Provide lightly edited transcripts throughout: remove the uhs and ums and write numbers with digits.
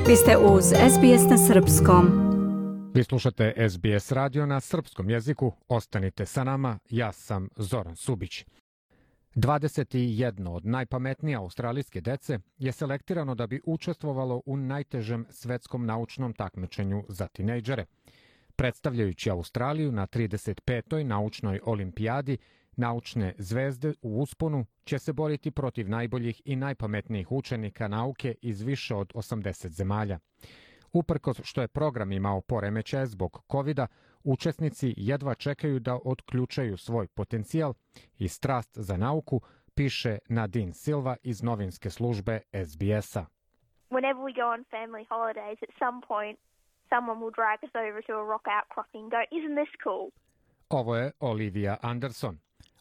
Vi ste uz SBS na srpskom. Vi slušate SBS radio na srpskom jeziku. Ostanite sa nama, ja sam Zoran Subić. 21 od najpametnije australijske dece je selektirano da bi učestvovalo u najtežem svetskom naučnom takmičenju za tinejdžere. Predstavljajući Australiju na 35. naučnoj olimpijadi, naučne zvezde u usponu će se boriti protiv najboljih i najpametnijih učenika nauke iz više od 80 zemalja. Uprkos što je program imao poremećaje zbog COVID-a, učesnici jedva čekaju da otključaju svoj potencijal i strast za nauku, piše Nadine Silva iz novinske službe SBS-a. Whenever we go on family holidays, at some point, someone will drag us over to a rock outcropping and go, isn't this cool? Ovo je Olivia Anderson.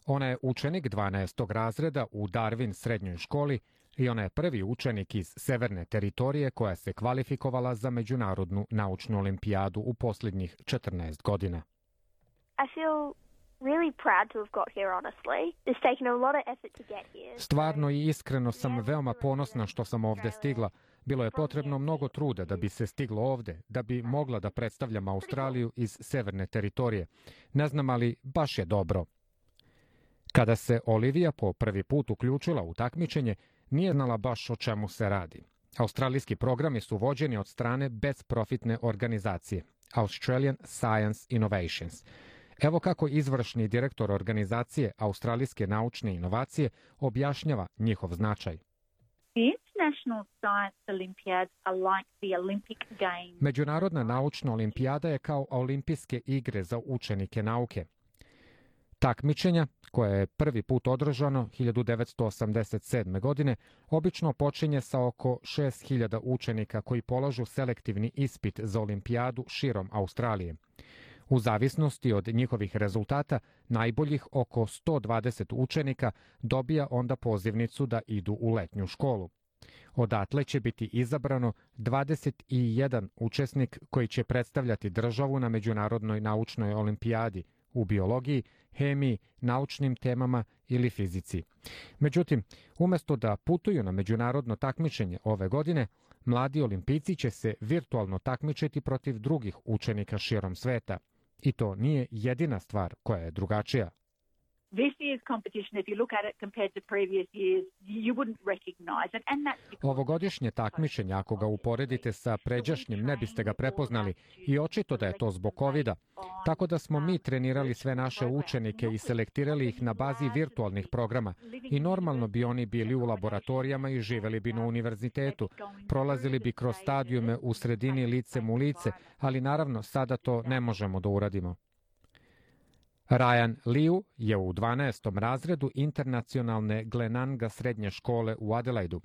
Ona je učenik 12. razreda u Darwin srednjoj školi i ona je prvi učenik iz Severne teritorije koja se kvalifikovala za međunarodnu naučnu olimpijadu u posljednjih 14 godina. I feel really proud to have got here, honestly. It's taken a lot of effort to get here. Stvarno i iskreno sam veoma ponosna što sam ovdje stigla. Bilo je potrebno mnogo truda da bi se stiglo ovdje, da bi mogla da predstavljam Australiju iz Severne teritorije. Ne znam, ali baš je dobro. Kada se Olivia po prvi put uključila u takmičenje, nije znala baš o čemu se radi. Australijski programi su vođeni od strane bezprofitne organizacije Australian Science Innovations. Evo kako izvršni direktor organizacije Australijske naučne inovacije objašnjava njihov značaj. Međunarodna naučna olimpijada je kao olimpijske igre za učenike nauke. Takmičenja, koje je prvi put održano 1987. godine, obično počinje sa oko 6.000 učenika koji polažu selektivni ispit za olimpijadu širom Australije. U zavisnosti od njihovih rezultata, najboljih oko 120 učenika dobija onda pozivnicu da idu u letnju školu. Odatle će biti izabrano 21 učesnik koji će predstavljati državu na Međunarodnoj naučnoj olimpijadi u biologiji, hemiji, naučnim temama ili fizici. Međutim, umjesto da putuju na međunarodno takmičenje ove godine, mladi olimpijci će se virtualno takmičiti protiv drugih učenika širom sveta. I to nije jedina stvar koja je drugačija. Ovogodišnje takmičenje, ako ga uporedite sa pređašnjim, ne biste ga prepoznali i očito da je to zbog COVID-a. Tako da smo mi trenirali sve naše učenike i selektirali ih na bazi virtualnih programa. I normalno bi oni bili u laboratorijama i živeli bi na univerzitetu. Prolazili bi kroz stadijume u sredini licem u lice, ali naravno sada to ne možemo da uradimo. Ryan Liu je u 12. razredu internacionalne Glenanga srednje škole u Adelaidu.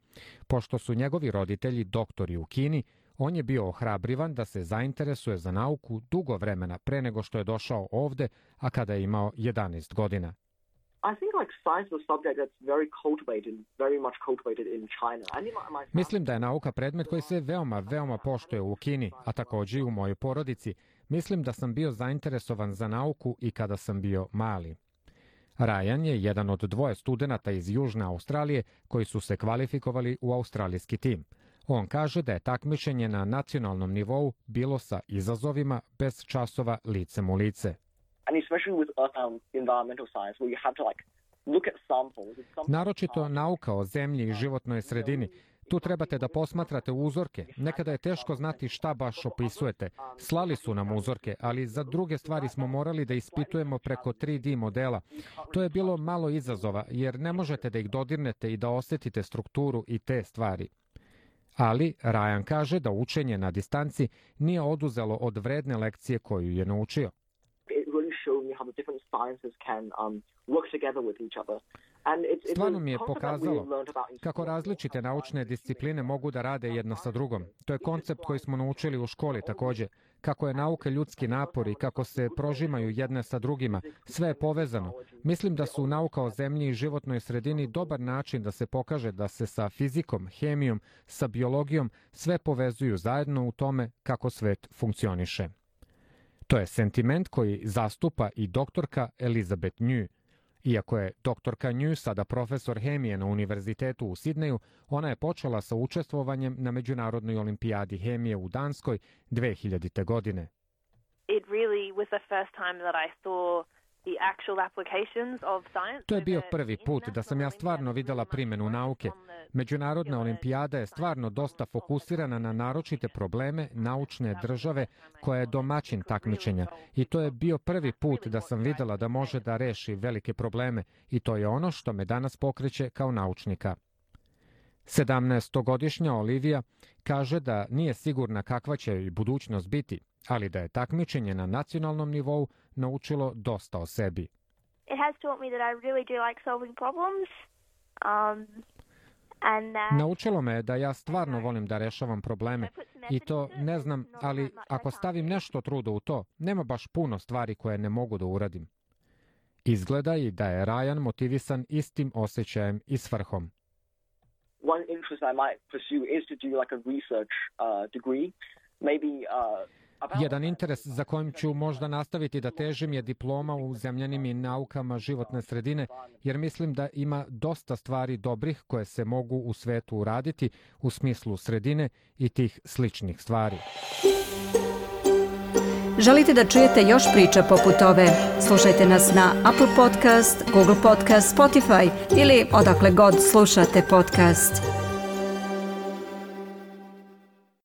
Pošto su njegovi roditelji doktori u Kini, on je bio ohrabrivan da se zainteresuje za nauku dugo vremena pre nego što je došao ovde, a kada je imao 11 godina. Mislim da je nauka predmet koji se veoma poštuje u Kini, a također i u mojoj porodici. Mislim da sam bio zainteresovan za nauku i kada sam bio mali. Ryan je jedan od dvoje studenata iz Južne Australije koji su se kvalifikovali u australijski tim. On kaže da je takmičenje na nacionalnom nivou bilo sa izazovima bez časova licem u lice. Naročito nauka o zemlji i životnoj sredini. Tu trebate da posmatrate uzorke. Nekada je teško znati šta baš opisujete. Slali su nam uzorke, ali za druge stvari smo morali da ispitujemo preko 3D modela. To je bilo malo izazova, jer ne možete da ih dodirnete i da osjetite strukturu i te stvari. Ali Ryan kaže da učenje na distanci nije oduzelo od vredne lekcije koju je naučio. Stvarno mi je pokazalo kako različite naučne discipline mogu da rade jedna sa drugom. To je koncept koji smo naučili u školi također. Kako je nauka ljudski napor i kako se prožimaju jedne sa drugima. Sve je povezano. Mislim da su nauka o zemlji i životnoj sredini dobar način da se pokaže da se sa fizikom, hemijom, sa biologijom sve povezuju zajedno u tome kako svet funkcioniše. To je sentiment koji zastupa i doktorka Elizabeth New. Iako je doktorka Nju sada profesor hemije na univerzitetu u Sidneju, ona je počela sa učestvovanjem na Međunarodnoj olimpijadi hemije u Danskoj 2000. godine. It really was the first time that I saw the actual applications of science. To je bio prvi put da sam ja stvarno videla primjenu nauke. Međunarodna olimpijada je stvarno dosta fokusirana na naročite probleme naučne države koja je domaćin takmičenja i to je bio prvi put da sam videla da može da reši velike probleme i to je ono što me danas pokreće kao naučnika. 17-godišnja Olivija kaže da nije sigurna kakva će joj budućnost biti, ali da je takmičenje na nacionalnom nivou naučilo dosta o sebi. It has taught me that I really do like solving problems. Naučilo me da ja stvarno volim da rešavam probleme i to ne znam, ali ako stavim nešto truda u to, nema baš puno stvari koje ne mogu da uradim. Izgleda i da je Ryan motivisan istim osjećajem i svrhom. One interest I might pursue is to do like a research degree, maybe Jedan interes za kojim ću možda nastaviti da težim je diploma u zemljanim i naukama životne sredine, jer mislim da ima dosta stvari dobrih koje se mogu u svetu uraditi u smislu sredine i tih sličnih stvari. Želite da čujete još priča poput ove? Slušajte nas na Apple Podcast, Google Podcast, Spotify ili odakle god slušate podcast.